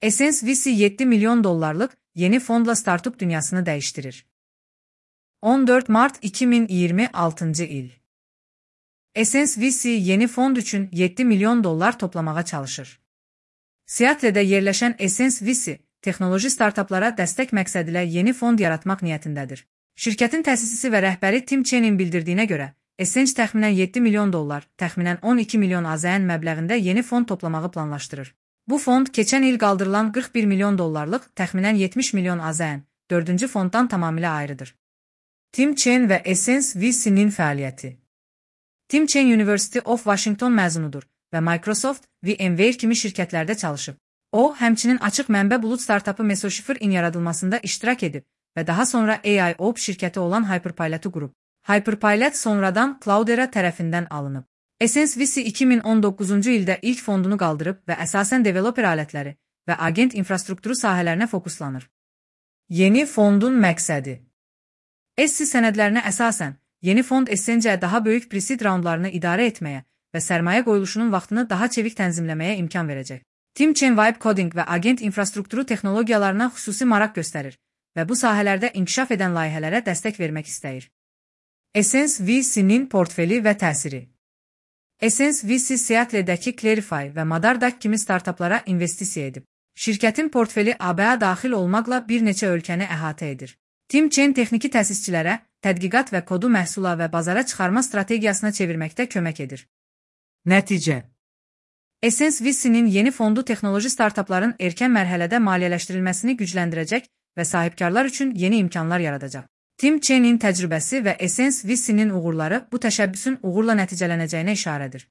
Essence VC 7 milyon dolarlık yeni fondla startup dünyasını değiştirir. 14 Mart 2026 il. Essence VC yeni fond üçün 7 milyon dolar toplamağa çalışır. Seattle'də yerləşən Essence VC, texnoloji startuplara dəstək məqsədilə yeni fond yaratmaq niyyətindədir. Şirkətin təsisçisi və rəhbəri Tim Chenin bildirdiyinə görə, Essence təxminən 7 milyon dolar, təxminən 12 milyon AZN məbləğində yeni fond toplamağı planlaşdırır. Bu fond keçən il qaldırılan 41 milyon dollarlıq, təxminən 70 milyon AZN, 4-cü fonddan tamamilə ayrıdır. Tim Chen və Essence VC-nin fəaliyyəti. Tim Chen University of Washington məzunudur və Microsoft, VMware kimi şirkətlərdə çalışıb. O, həmçinin açıq mənbə bulut startapı Mesoshifr-in yaradılmasında iştirak edib və daha sonra AIOps şirkəti olan Hyperpilot-u qurub. Hyperpilot sonradan Cloudera tərəfindən alınıb. Essence VC 2019-cu ildə ilk fondunu qaldırıb və əsasən developer alətləri və agent infrastrukturu sahələrinə fokuslanır. Yeni fondun məqsədi. SC sənədlərinə əsasən, yeni fond Essence-ə daha böyük pre-seed raundlarını idarə etməyə və sərmayə qoyuluşunun vaxtını daha çevik tənzimləməyə imkan verəcək. Tim Chen Vibe Coding və agent infrastrukturu texnologiyalarına xüsusi maraq göstərir və bu sahələrdə inkişaf edən layihələrə dəstək vermək istəyir. Essence VC-nin portfeli və təsiri. Essence VC Seattle'dəki Clarify və Madardak kimi startuplara investisiya edib. Şirkətin portfeli ABA daxil olmaqla bir neçə ölkəni əhatə edir. Tim Chen texniki təsisçilərə tədqiqat və kodu məhsula və bazara çıxarma strategiyasına çevirməkdə kömək edir. Nəticə. Essence VC-nin yeni fondu texnoloji startupların erkən mərhələdə maliyyələşdirilməsini gücləndirəcək və sahibkarlar üçün yeni imkanlar yaradacaq. Tim Chenin təcrübəsi və Essence VC-nin uğurları bu təşəbbüsün uğurla nəticələnəcəyinə işarədir.